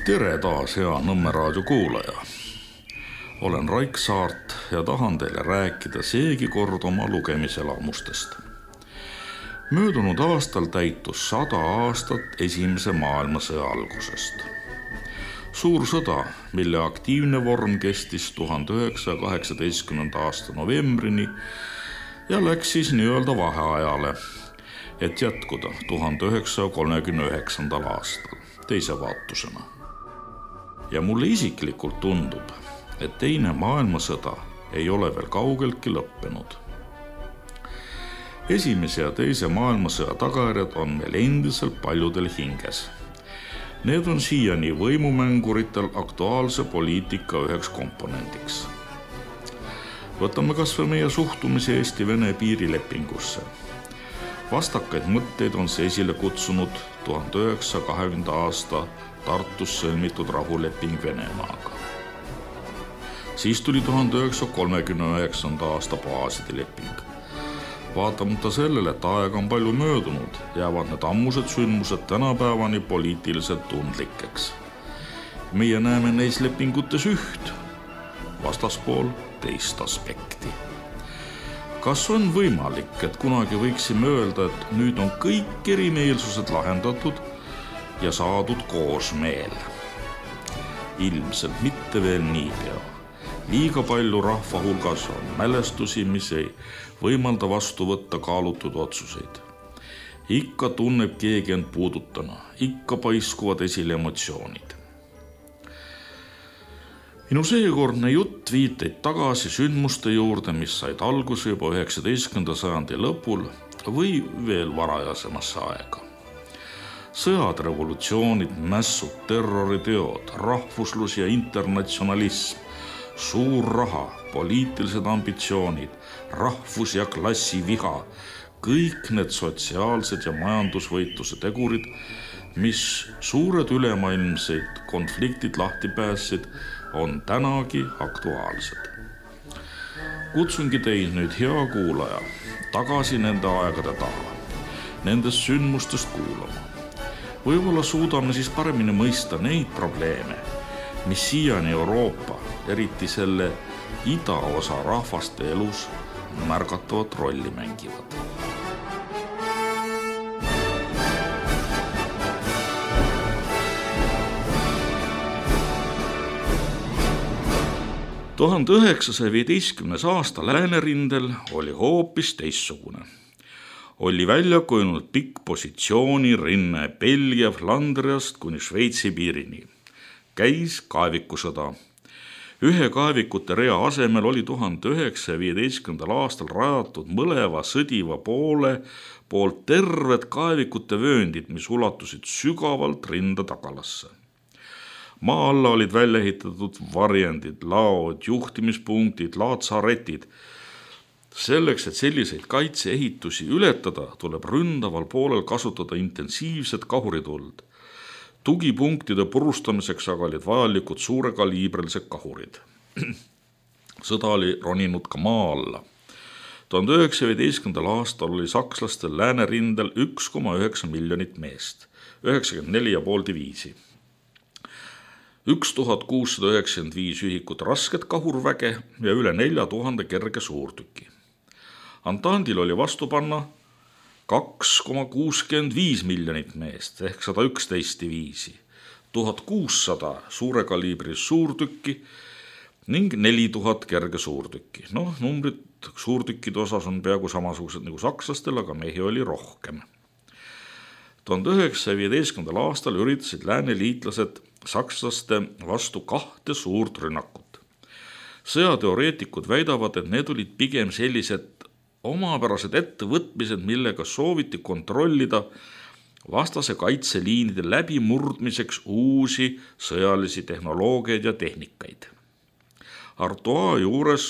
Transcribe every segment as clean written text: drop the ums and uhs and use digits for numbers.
Tere taas, hea Nõmme raadio kuulaja. Olen Raik Saart ja tahan teile rääkida seegi kord oma lugemiselamustest. Möödunud aastal täitus 100 aastat Esimese maailmasõja algusest. Suur sõda, mille aktiivne vorm kestis 1918. aasta novembrini ja läks siis nii-öelda vaheajale, et jätkuda 1939. aastal teise vaatusena. Ja mulle isiklikult tundub, et teine maailmasõda ei ole veel kaugeltki lõppenud. Esimese ja teise maailmasõja tagajärjed on meil endiselt paljudel hinges. Need on siiani võimumänguritel aktuaalse poliitika üheks komponendiks. Võtame kas või meie suhtumise Eesti-Vene piirilepingusse. Vastakaid mõtteid on see esile kutsunud 1920. aasta Tartus sõlmitud rahuleping Venemaaga. Siis tuli 1939. aasta baaside leping. Vaatamata sellele, et aega on palju möödunud, jäävad need ammused sündmused tänapäevani poliitiliselt tundlikeks. Meie näeme neis lepingutes üht, vastaspool teist aspekti. Kas on võimalik, et kunagi võiksime öelda, et nüüd on kõik erimeelsused lahendatud ja saadud koosmeel? Ilmselt mitte veel niipea. Liiga palju rahva hulgas on mälestusi, mis ei võimalda vastu võtta kaalutud otsuseid. Ikka tunneb keegi end puudutana, ikka paiskuvad esile emotsioonid. Minu seekordne jutt viiteid tagasi sündmuste juurde, mis said alguse juba 19. sajandi lõpul või veel varajasemasse aega. Sõjad, revolutsioonid, mässud, terroriteod, rahvuslus ja internatsionalism, suur raha, poliitilised ambitsioonid, rahvus- ja klassiviha, kõik need sotsiaalsed ja majandusvõitluse tegurid, mis suured ülemaailmseid konfliktid lahti päässid, on tänagi aktuaalsed. Kutsungi teid nüüd, hea kuulaja, tagasi nende aegade taha, nendest sündmustest kuulama. Võib-olla suudame siis paremini mõista neid probleeme, mis siiani Euroopa, eriti selle idaosa rahvaste elus märgatavat rolli mängivad. – 1915. aasta läänerindel oli hoopis teistsugune. Oli välja kujunenud pikk positsiooni rinne Belgia Flandriast kuni Šveitsi piirini. Käis kaevikusõda. Ühe kaevikute rea asemel oli 1915. aastal rajatud mõleva sõdiva poole poolt terved kaevikute vööndid, mis ulatusid sügavalt rinda tagalasse. Maa alla olid välja ehitatud varjendid, laod, juhtimispunktid, laatsaretid. Selleks, et selliseid kaitseehitusi ületada, tuleb ründaval poolel kasutada intensiivset kahurituld. Tugipunktide purustamiseks aga olid vajalikud suurekaliibrilised kahurid. Sõda oli roninud ka maa alla. 1915. aastal oli sakslastel läänerindel 1,9 miljonit meest, 94,5 diviisi. 1695 ühikut rasket kahurväge ja üle 4000 kerge suurtüki. Antandil oli vastu panna 2,65 miljonit meest ehk 111 diviisi, 1600 suurekaliibris suurtükki ning 4000 kerge suurtükki. Numbrid suurtükkide osas on peaaegu samasugused nagu sakslastel, aga mehi oli rohkem. 1915. aastal üritasid lääneliitlased sakslaste vastu 2 suurt rünnakut. Sõjateoreetikud väidavad, et need olid pigem sellised omapärased ettevõtmised, millega sooviti kontrollida vastase kaitseliinide läbimurdmiseks uusi sõjalisi tehnoloogiaid ja tehnikaid. Artois juures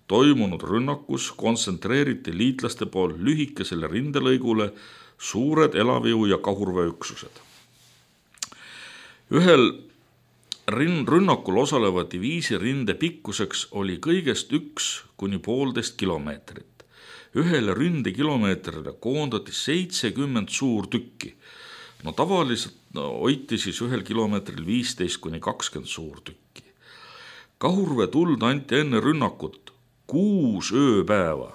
toimunud rünnakus kontsentreeriti liitlaste pool lühikesele rindelõigule suured elaviu- ja kahurväeüksused. Ühel rünnakul osaleva diviisi rinde pikkuseks oli kõigest 1–1,5 kilomeetrit. Ühele rindekilomeetrile koondati 70 suurtükki. No tavaliselt hoiti siis 1 kilomeetril 15–20 suurtükki. Kahurvee tuld anti enne rünnakut 6 ööpäeva.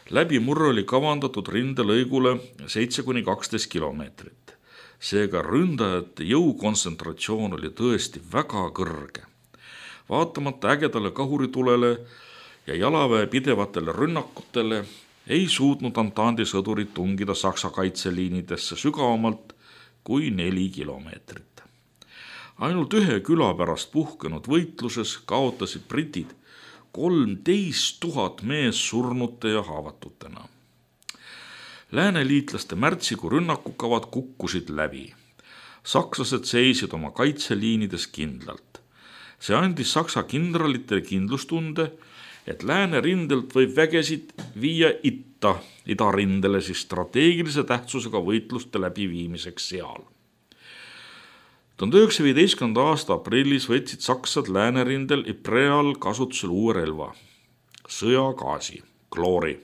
Läbimurre oli kavandatud rindelõigule 7–12 kilomeetrit. Seega ründajate jõukontsentratsioon oli tõesti väga kõrge. Vaatamata ägedale kahuritulele ja jalaväe pidevatele rünnakutele ei suutnud Antandi sõdurid tungida Saksa kaitseliinidesse sügavamalt kui 4 kilomeetrit. Ainult 1 küla pärast puhkenud võitluses kaotasid britid 13 000 mees surnute ja haavatutena. Lääneliitlaste märtsikuu rünnakukavad kukkusid läbi. Sakslased seisid oma kaitseliinides kindlalt. See andis Saksa kindralitele kindlustunde, et läänerindelt võib vägesid viia idarindele siis strateegilise tähtsusega võitluste läbiviimiseks seal. 1915. aasta aprillis võtsid saksad läänerindel Ypres'al kasutusel uue relva, sõjagaasi, kloori.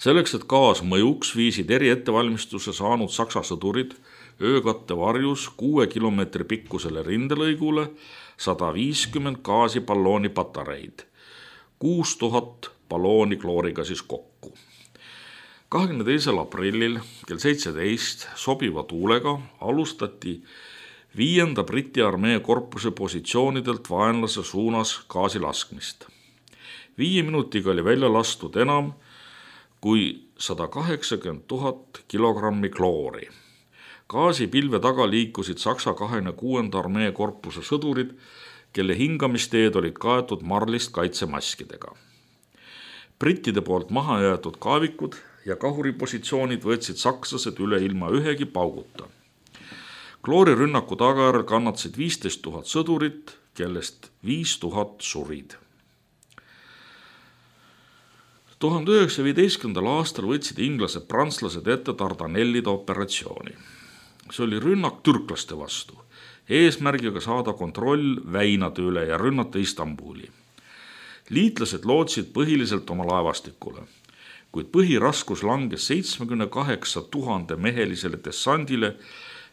Selleks, et gaas mõjuks, viisid eriettevalmistuse saanud saksa sõdurid öökatte varjus 6 kilomeetri pikkusele rindelõigule 150 gaasipallooni patareid, 6000 ballooni klooriga siis kokku. 22. aprillil kell 17 sobiva tuulega alustati 5. Briti armee korpuse positsioonidelt vaenlase suunas gaasi laskmist. 5 minutiga oli välja lastud enam kui 180 000 kilogrammi kloori. Gaasipilve taga liikusid Saksa 26. armee korpuse sõdurid, kelle hingamisteed olid kaetud marlist kaitsemaskidega. Brittide poolt maha jäetud kaavikud ja kahuripositsioonid võtsid sakslased üle ilma ühegi pauguta. Kloorirünnaku tagajärjel kannatasid 15 000 sõdurit, kellest 5000 surid. 1915. aastal võtsid inglased prantslased ette Dardanellide operatsiooni. See oli rünnak türklaste vastu, eesmärgiga saada kontroll väinade üle ja rünnata Istanbuli. Liitlased lootsid põhiliselt oma laevastikule, kuid põhiraskus langes 78 000 mehelisele dessandile,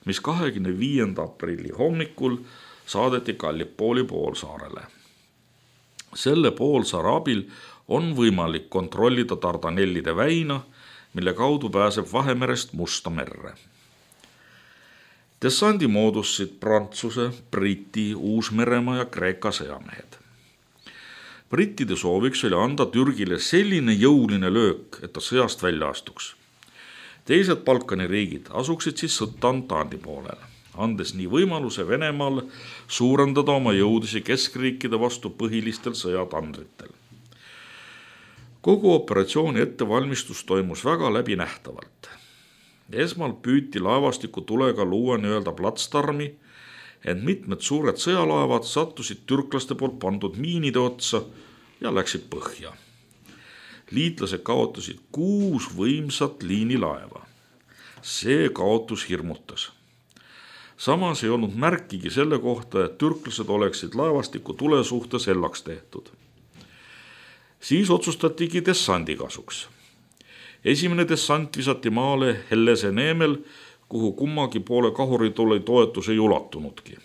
mis 25. aprilli hommikul saadeti Gallipooli poolsaarele. Selle poolsaare abil on võimalik kontrollida Dardanellide väina, mille kaudu pääseb Vahemerest Musta merre. Dessandi moodustasid Prantsuse, Briti, Uus-Meremaa ja Kreeka sõjamehed. Brittide sooviks oli anda Türgile selline jõuline löök, et ta sõjast välja astuks. Teised Balkani riigid asuksid siis sõtta Antandi poolel, andes nii võimaluse Venemaal suurendada oma jõudisi keskriikide vastu põhilistel sõjatandritel. Kogu operatsiooni ettevalmistus toimus väga läbinähtavalt. Esmalt püüti laevastiku tulega luua nii-öelda platsdarmi, ent mitmed suured sõjalaevad sattusid türklaste poolt pandud miinide otsa ja läksid põhja. Liitlased kaotasid 6 võimsat liinilaeva. See kaotus hirmutas. Samas ei olnud märkigi selle kohta, et türklased oleksid laevastiku tule suhtes hellaks tehtud. Siis otsustatigi dessandi kasuks. Esimene dessant visati maale Hellese neemel, kuhu kummagi poole kahuritule toetus ei ulatunudki.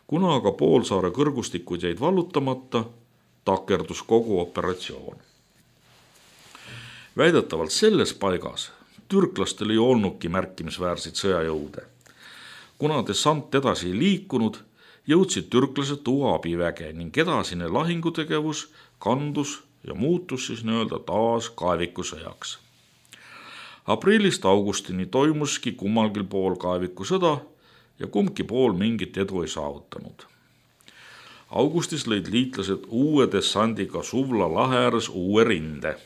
Kuna aga poolsaare kõrgustikud jäid vallutamata, takerdus kogu operatsioon. Väidetavalt selles paigas türklastel ei olnudki märkimisväärseid sõjajõude. Kuna dessant edasi ei liikunud, jõudsid türklased tuua abiväge ning edasine lahingutegevus kandus ja muutus siis nii-öelda taas kaevikusõjaks. Aprillist augustini toimuski kummalgi pool kaevikusõda ja kumbki pool mingit edu ei saavutanud. Augustis lõid liitlased uue dessandiga Suvla lahe ääres uue rinde.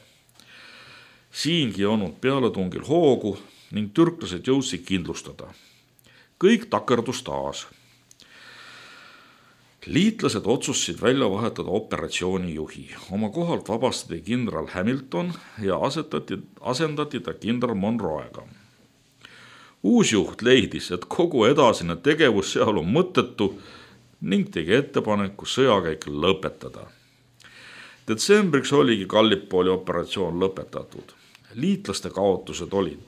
Siingi ei olnud pealetungil hoogu ning türklased jõudsid kindlustada. Kõik takerdus taas. Liitlased otsustasid välja vahetada operatsiooni juhi. Oma kohalt vabastati kindral Hamilton ja asendati ta kindral Monroega. Uus juht leidis, et kogu edasine tegevus seal on mõttetu ning tegi ettepaneku sõjakäik lõpetada. Detsembriks oligi Gallipooli operatsioon lõpetatud. Liitlaste kaotused olid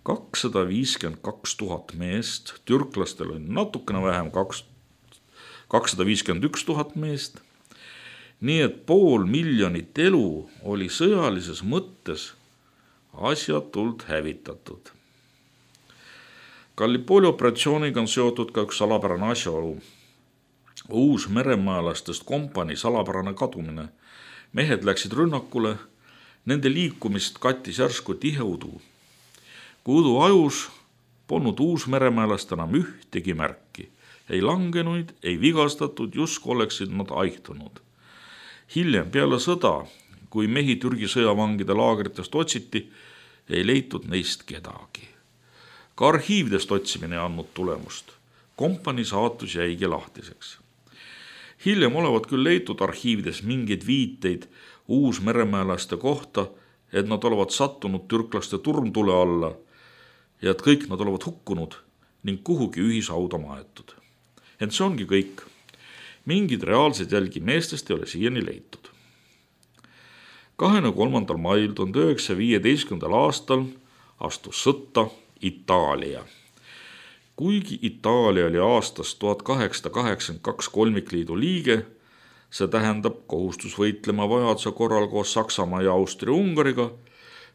252 000 meest, türklastel oli natukene vähem 251 000 meest, nii et 500 000 elu oli sõjalises mõttes asjatult hävitatud. Gallipoli operatsiooniga on seotud ka üks salapärane asjaolu. Uus meremaalastest kompanii salapärane kadumine. Mehed läksid rünnakule, nende liikumist kattis järsku tiheudu. Kui udu ajus, polnud uusmeremäelast enam ühtegi märki. Ei langenuid, ei vigastatud, justkui oleksid nad aihtunud. Hiljem peale sõda, kui mehi Türgi sõjavangide laagritest otsiti, ei leitud neist kedagi. Ka arhiividest otsimine ei andnud tulemust. Kompanii saatus jäigi lahtiseks. Hiljem olevat küll leitud arhiivides mingeid viiteid uusmeremäelaste kohta, et nad olevat sattunud türklaste turmtule alla ja et kõik nad olevat hukkunud ning kuhugi ühishauda maetud. Ent see ongi kõik. Mingid reaalsed jälgi meestest ei ole siiani leitud. 23. mail 1915. aastal astus sõtta Itaalia. Kuigi Itaalia oli aastast 1882 kolmikliidu liige, see tähendab kohustus võitlema vajaduse korral koos Saksamaa ja Austria-Ungariga,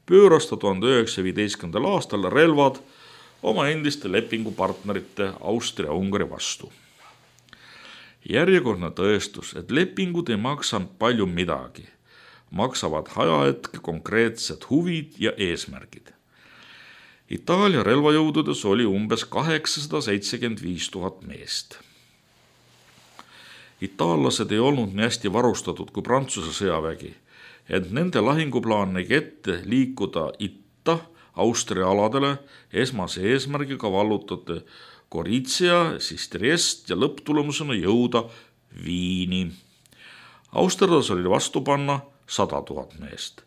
pööras ta 1915. aastal relvad oma endiste lepingupartnerite Austria-Ungari vastu. Järjekordne tõestus, et lepingud ei maksa palju midagi, maksavad ajahetke konkreetsed huvid ja eesmärgid. Itaalia relvajõududes oli umbes 875 000 meest. Itaallased ei olnud nii hästi varustatud kui Prantsuse sõjavägi, et nende lahinguplaan nägi ette liikuda itta Austria aladele esmase eesmärgiga vallutada Gorizia, siis Triest ja lõpptulemusena jõuda Viini. Austerlas oli vastu panna 100 000 meest.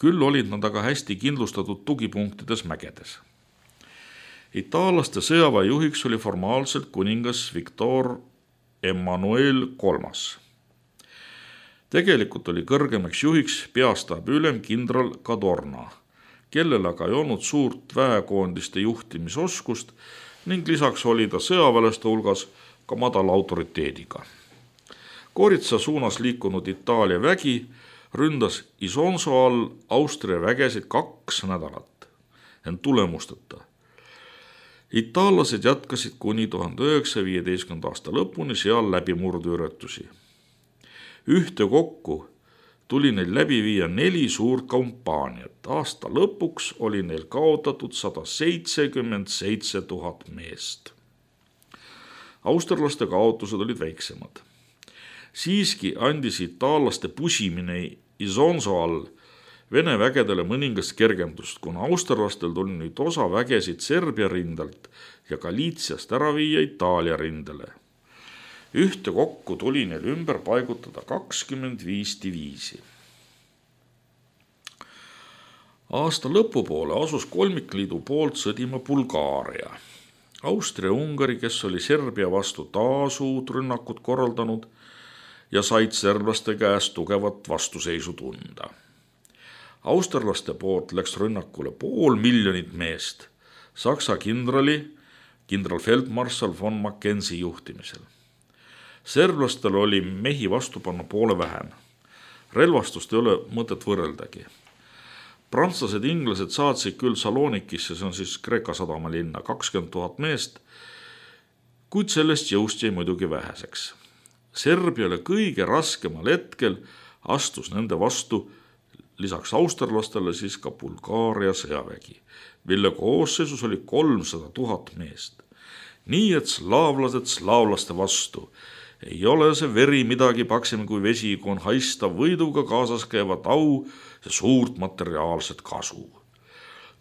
Küll olid nad aga hästi kindlustatud tugipunktides mägedes. Itaallaste sõjaväe juhiks oli formaalselt kuningas Victor Emmanuel III. Tegelikult oli kõrgemaks juhiks peastaabi ülem kindral Cadorna, kellel aga ei olnud suurt väekoondiste juhtimisoskust ning lisaks oli ta sõjaväelaste hulgas ka madala autoriteediga. Gorizia suunas liikunud Itaalia vägi ründas Isonzo all Austria vägesid 2 nädalat, ent tulemusteta. Itaallased jätkasid kuni 1915. aasta lõpuni seal läbimurduüratusi. Ühtekokku tuli neil läbi viia 4 suurt kampaaniat. Aasta lõpuks oli neil kaotatud 177 000 meest. Austerlaste kaotused olid väiksemad. Siiski andis itaallaste pusimine Isonzo all Vene vägedele mõningast kergendust, kuna austerlastel tuli nüüd osa vägesid Serbia rindelt ja Galiitsiast ära viia Itaalia rindele. Ühtekokku tuli neil ümber paigutada 25 diviisi. Aasta lõpupoole asus kolmikliidu poolt sõdima Bulgaaria. Austria-Ungari, kes oli Serbia vastu taas uut rünnakut korraldanud ja said serblaste käest tugevat vastuseisu tunda. Austerlaste poolt läks rünnakule 500 000 meest Saksa kindralfeldmarssal von Mackenzie juhtimisel. Serblastel oli mehi vastu panna poole vähem. Relvastust ei ole mõtet võrreldagi. Prantslased ja inglased saatsid küll Salonikisse, see on siis Kreeka sadamalinna, 20 000 meest, kuid sellest jõust jäi muidugi väheseks. Serbiale kõige raskemal hetkel astus nende vastu lisaks austerlastele siis ka Bulgaaria sõjavägi, mille koosseisus oli 300 000 meest. Nii et slaavlased slaavlaste vastu. Ei ole see veri midagi paksem kui vesi, kui on haistav võiduga kaasas käivat au ja suurt materiaalset kasu.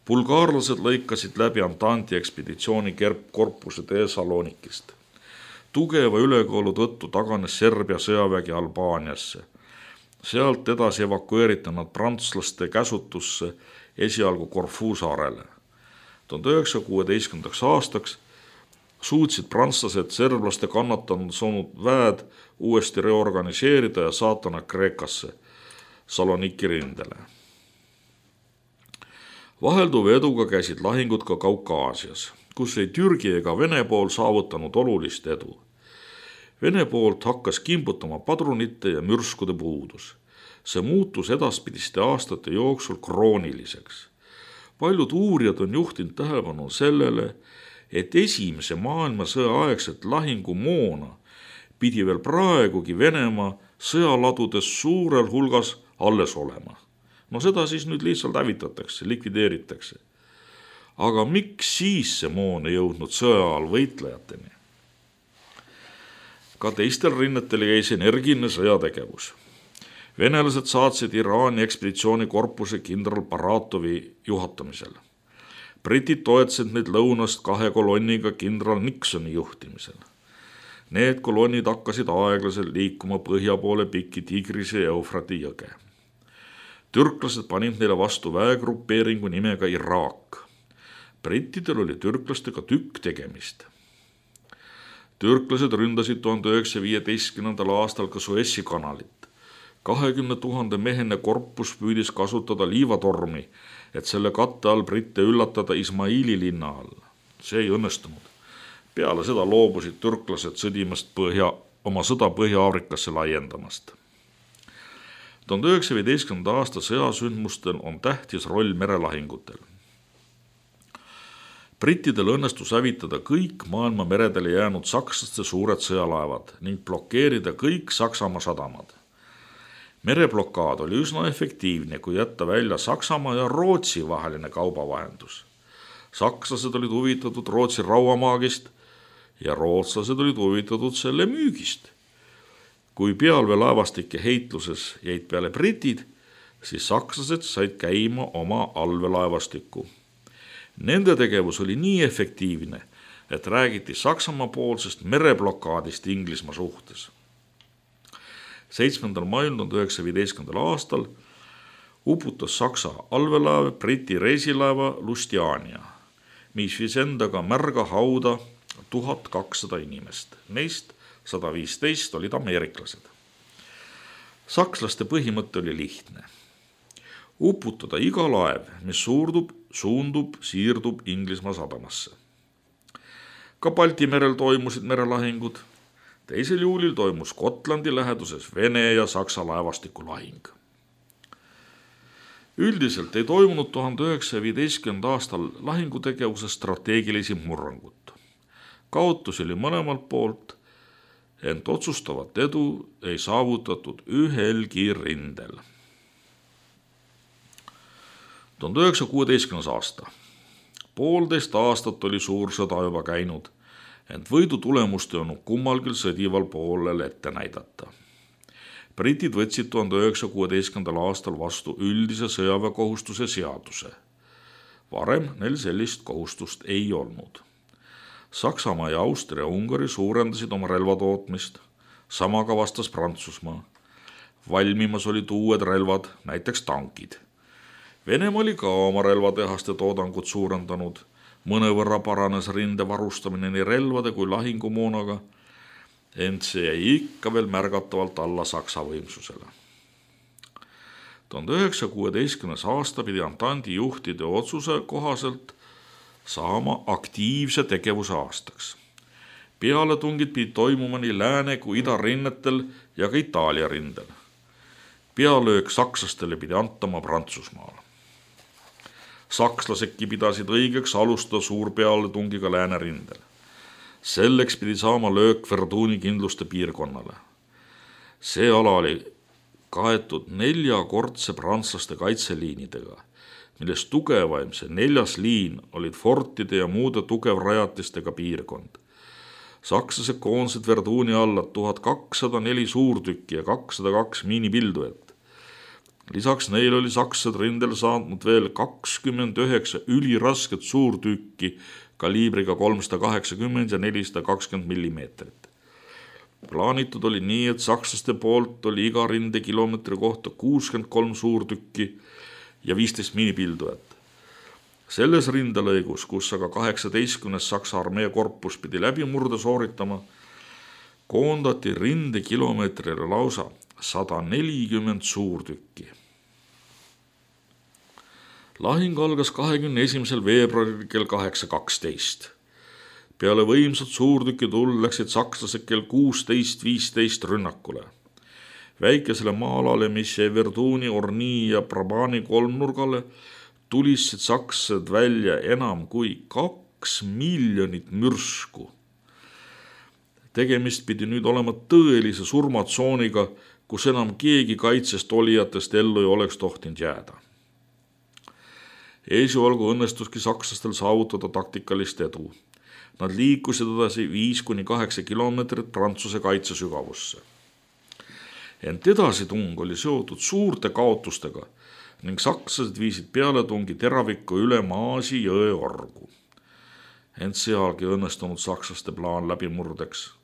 Bulgaarlased lõikasid läbi Antanti ekspeditsiooni korpuse tee Salonikist. Tugeva ülekaalu tõttu taganes Serbia sõjavägi Albaaniasse. Sealt edasi evakueeriti nad prantslaste käsutusse esialgu Corfu saarele. 1916. aastaks suutsid prantslased serblaste kannatanud saanud väed uuesti reorganiseerida ja saata nad Kreekasse, Saloniki rindele. Vahelduva eduga käisid lahingud ka Kaukaasias, kus ei Türgi ega Vene pool saavutanud olulist edu. Vene poolt hakkas kimbutama padrunite ja mürskude puudus. See muutus edaspidiste aastate jooksul krooniliseks. Paljud uurijad on juhtinud tähelepanu sellele, et esimese maailmasõja aegset lahingumoona pidi veel praegugi Venemaa sõjaladudes suurel hulgas alles olema. No seda siis nüüd lihtsalt hävitatakse, likvideeritakse. Aga miks siis see moon ei jõudnud sõja ajal võitlejateni? Ka teistel rinnetel jäis energiline sõjategevus. Venelased saatsid Iraani ekspeditsioonikorpuse kindral Baratovi juhatamisel. Britid toetasid neid lõunast 2 kolonniga kindral Nixoni juhtimisel. Need kolonnid hakkasid aeglaselt liikuma põhja poole pikki Tigrise ja Eufrati jõge. Türklased panid neile vastu väegrupeeringu nimega Iraak. Brittidel oli türklastega tükk tegemist. Türklased ründasid 1915. aastal ka Suessi kanalit. 20 000 mehene korpus püüdis kasutada liivatormi, et selle katte all britte üllatada Ismaili linna all. See ei õnnestunud. Peale seda loobusid türklased sõdimast oma sõda Põhja-Aafrikasse laiendamast. 1915. aasta sõjasündmustel on tähtis roll merelahingutel. Brittidel õnnestus hävitada kõik maailma meredele jäänud sakslaste suured sõjalaevad ning blokeerida kõik Saksamaa sadamad. Mereblokaad oli üsna efektiivne, kui jätta välja Saksamaa ja Rootsi vaheline kaubavahendus. Sakslased olid huvitatud Rootsi rauamaagist ja rootslased olid huvitatud selle müügist. Kui pealveelaevastike heitluses jäid peale britid, siis sakslased said käima oma allveelaevastikku. Nende tegevus oli nii efektiivne, et räägiti Saksamaa poolsest mereblokaadist Inglismaa suhtes. 7. mail 1915. aastal uputas Saksa allveelaev Briti reisilaeva Lustiania, mis viis endaga märga hauda 1200 inimest. Neist 115 olid ameeriklased. Sakslaste põhimõte oli lihtne. Uputada iga laev, mis suundub, siirdub Inglismaa sadamasse. Ka Balti merel toimusid merelahingud. 2. juulil toimus Gotlandi läheduses Vene ja Saksa laevastiku lahing. Üldiselt ei toimunud 1915. aastal lahingutegevuses strateegilisi murrangut. Kaotusi oli mõlemalt poolt, ent otsustavat edu ei saavutatud ühelgi rindel. 1916. aasta. 1,5 aastat oli suur sõda juba käinud, ent võidu tulemust ei olnud kummalgi sõdival poolel ette näidata. Britid võtsid 1916. aastal vastu üldise sõjaväekohustuse seaduse. Varem neil sellist kohustust ei olnud. Saksamaa ja Austria ja Ungari suurendasid oma relvatootmist, samaga vastas Prantsusmaa. Valmimas olid uued relvad, näiteks tankid. Venemaa oli ka oma relvatehaste toodangut suurendanud. Mõnevõrra paranes rinde varustamine nii relvade kui lahingumoonaga, ent see jäi ikka veel märgatavalt alla Saksa võimsusele. 1916. aasta pidi Antandi juhtide otsuse kohaselt saama aktiivse tegevuse aastaks. Pealetungid pidi toimuma nii lääne kui ida rinnetel ja ka Itaalia rindel. Pealöök sakslastele pidi antama Prantsusmaal. Sakslasedki pidasid õigeks alustada suurpealetungiga läänerindel. Selleks pidi saama löök Verduni kindluste piirkonnale. See ala oli kaetud 4-kordse prantslaste kaitseliinidega, millest tugevaim see 4. liin olid fortide ja muude tugevrajatistega piirkond. Sakslased koondasid Verduni alla 1204 suurtükki ja 202 miinipildujat. Lisaks neil oli sakslased rindel saanud veel 29 ülirasket suurtükki kaliibriga 380 ja 420 millimeetrit. Plaanitud oli nii, et sakslaste poolt oli iga rindekilomeetri kohta 63 suurtükki ja 15 miinipildujat. Selles rindelõigus, kus aga 18. Saksa armee korpus pidi läbimurde sooritama, koondati rindekilomeetrile lausa 140 suurtükki. Lahing algas 21. veebruaril kell 8:12. Peale võimsat suurtükituld läksid sakslased kell 16:15 rünnakule. Väikesele maalale, mis jäi Verduni, Orni ja Brabani kolmnurgale, tulisid sakslased välja enam kui 2 miljonit mürsku. Tegemist pidi nüüd olema tõelise surmatsooniga, kus enam keegi kaitsest olijatest ellu ei oleks tohtinud jääda. Esialgu õnnestuski sakslastel saavutada taktikalist edu. Nad liikusid edasi 5-8 kilomeetrit Prantsuse kaitsesügavusse. Ent edasitung oli seotud suurte kaotustega ning sakslased viisid pealetungi teraviku üle Maasi jõe orgu. Ent sealgi õnnestunud sakslaste plaan läbimurdeks.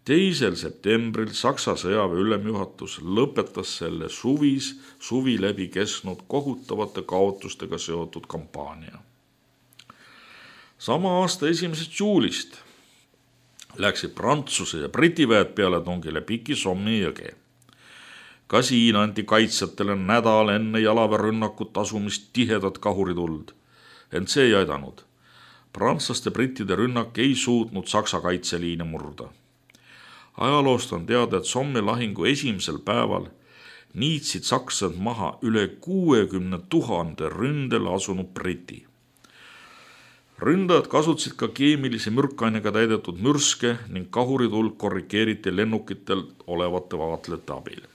2. septembril Saksa sõjaväe ülemjuhatus lõpetas selle suvi läbi kestnud kohutavate kaotustega seotud kampaania. Sama aasta 1. juulist läksid Prantsuse ja Briti väed pealetungile Piki Sommi jõge. Ka siin anti kaitsjatele nädal enne jalaväerünnakut asumist tihedat kahurituld, ent see ei aidanud. Prantslaste brittide rünnak ei suutnud Saksa kaitseliine murda. Ajaloost on teada, et Sommi lahingu esimesel päeval niitsid sakslased maha üle 60 000 ründele asunud briti. Ründajad kasutasid ka keemilise mürkainega täidetud mürske ning kahurituld korrigeeriti lennukitel olevate vaatlejate abil.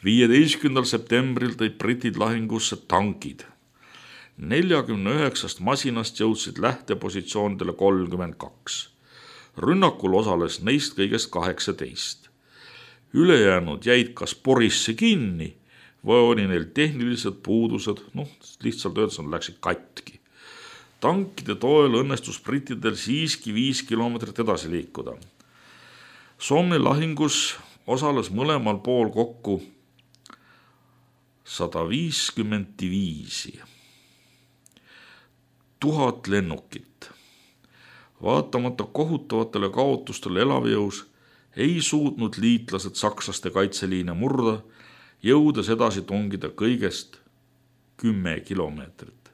15. septembril tõid britid lahingusse tankid. 49 masinast jõudsid lähtepositsioonidele 32. Rünnakul osales neist kõigest 18. Ülejäänud jäid kas porisse kinni või oli neil tehnilised puudused, lihtsalt öeldes nad läksid katki. Tankide toel õnnestus brittidel siiski 5 kilomeetrit edasi liikuda. Sommi lahingus osales mõlemal pool kokku 155 000 lennukit. Vaatamata kohutavatele kaotustele elavjõus ei suutnud liitlased sakslaste kaitseliine murda, jõudes edasi tungida kõigest 10 kilomeetrit.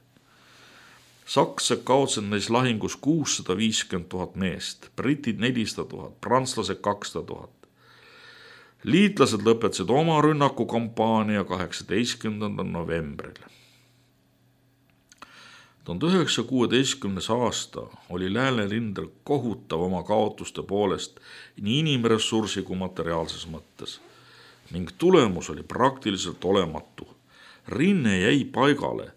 Sakslased kaotsid neis lahingus 650 000 meest, britid 400 000, prantslased 200 000. Liitlased lõpetasid oma rünnakukampaania 18. novembril. 1916. aasta oli Läänerindel kohutav oma kaotuste poolest nii inimressursi kui materiaalses mõttes ning tulemus oli praktiliselt olematu. Rinne jäi paigale,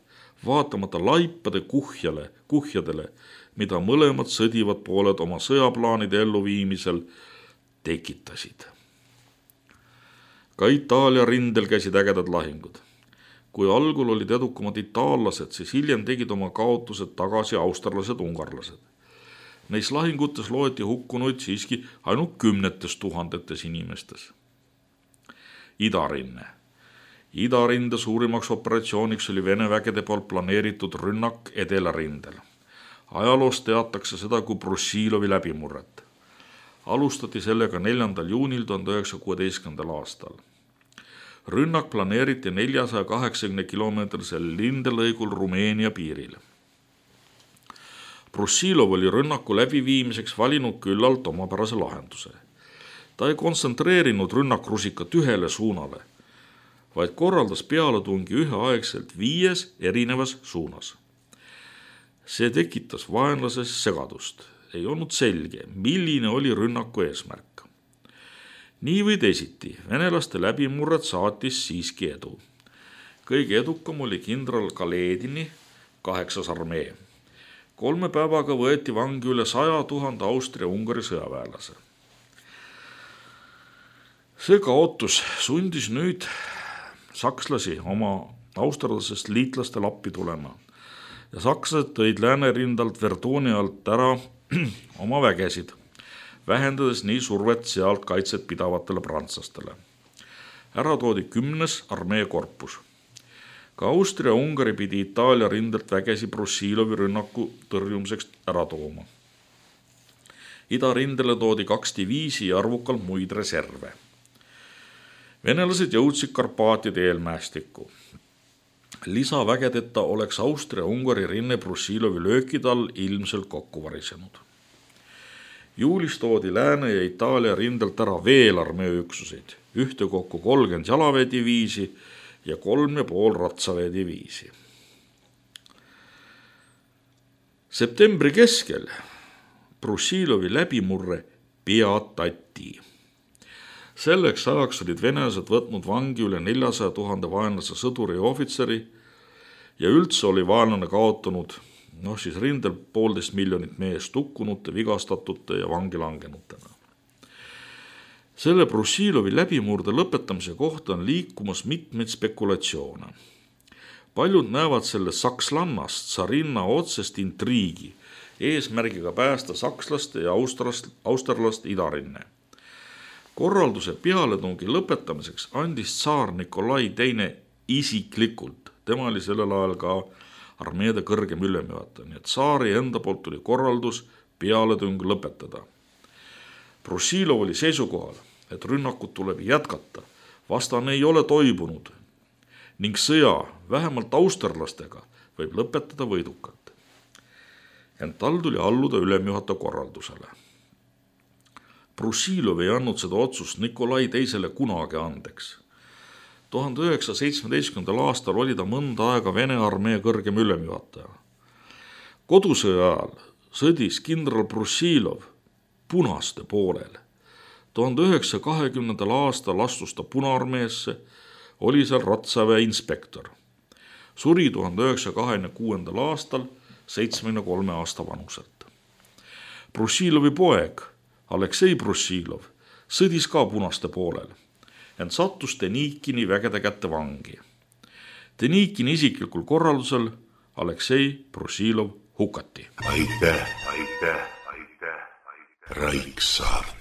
vaatamata laipade kuhjadele, mida mõlemad sõdivad pooled oma sõjaplaanide elluviimisel tekitasid. Ka Itaalia rindel käisid ägedad lahingud. Kui algul olid edukamad itaallased, siis hiljem tegid oma kaotused tagasi austerlased, ungarlased. Neis lahingutes loeti hukkunuid siiski ainult 10 000 inimestes. Idarinne. Idarinde suurimaks operatsiooniks oli Vene vägede poolt planeeritud rünnak Edelarindel. Ajaloos teatakse seda kui Brussilovi läbimurret. Alustati sellega 4. juunil 1916. aastal. Rünnak planeeriti 480 kilomeetrisel lindelõigul Rumeenia piiril. Brussilov oli rünnaku läbiviimiseks valinud küllalt omapärase lahenduse. Ta ei kontsentreerinud rünnakrusikat ühele suunale, vaid korraldas pealetungi üheaegselt 5 erinevas suunas. See tekitas vaenlases segadust. Ei olnud selge, milline oli rünnaku eesmärk. Nii või teisiti, venelaste läbimurret saatis siiski edu. Kõige edukam oli kindral Kaledini 8. armee. 3 päevaga võeti vangi üle 100 000 Austria-Ungari sõjaväelase. See kaotus sundis nüüd sakslasi oma austerlasest liitlastel appi tulema ja sakslased tõid Läänerindalt Verduni alt ära oma vägesid, vähendades nii survet sealt kaitset pidavatele prantslastele. Ära toodi 10. armeekorpus. Ka Austria-Ungari pidi Itaalia rindelt vägesi Brussilovi rünnaku tõrjumiseks ära tooma. Idarindele toodi 2 diviisi ja arvukalt muid reserve. Venelased jõudsid Karpaatide eelmäestikku. Lisavägedeta oleks Austria-Ungari rinne Brussilovi löökide all ilmselt kokku varisenud. Juulis toodi Lääne ja Itaalia rindelt ära veel armeeüksuseid, ühtekokku 30 jalaväediviisi ja 3,5 ratsaväediviisi. Septembri keskel Brussilovi läbimurre peatati. Selleks ajaks olid venelased võtnud vangi üle 400 000 vaenlase sõduri ja ohvitseri ja üldse oli vaenlane kaotanud rindel 1,5 miljonit meest hukkunute, vigastatute ja vangi langenutena. Selle Brussilovi läbimurde lõpetamise kohta on liikumas mitmeid spekulatsioone. Paljud näevad selle sakslannast tsarinna otsest intriigi, eesmärgiga päästa sakslaste ja austerlaste idarinne. Korralduse pealetungi lõpetamiseks andis tsaar Nikolai II isiklikult, tema oli sellel ajal ka armeede kõrgem ülemjuhataja, nii et tsaari enda poolt tuli korraldus pealetung lõpetada. Brussilov oli seisukohal, et rünnakut tuleb jätkata, vastane ei ole toibunud ning sõja vähemalt austerlastega võib lõpetada võidukalt. Ent tal tuli alluda ülemjuhataja korraldusele. Brussilov ei andnud seda otsust Nikolai II kunagi andeks. 1917. aastal oli ta mõnda aega Vene armee kõrgem ülemjuhataja. Kodusõja ajal sõdis kindral Brussilov punaste poolel. 1920. aastal astus ta Punaarmeesse, oli seal ratsaväe inspektor. Suri 1926. aastal 73 aasta vanuselt. Brussilovi poeg Aleksei Brussilov sõdis ka punaste poolel, ent sattus Denikini vägede kätte vangi. Denikini isiklikul korraldusel Aleksei Brussilov hukati. Aitäh. Raiksaart.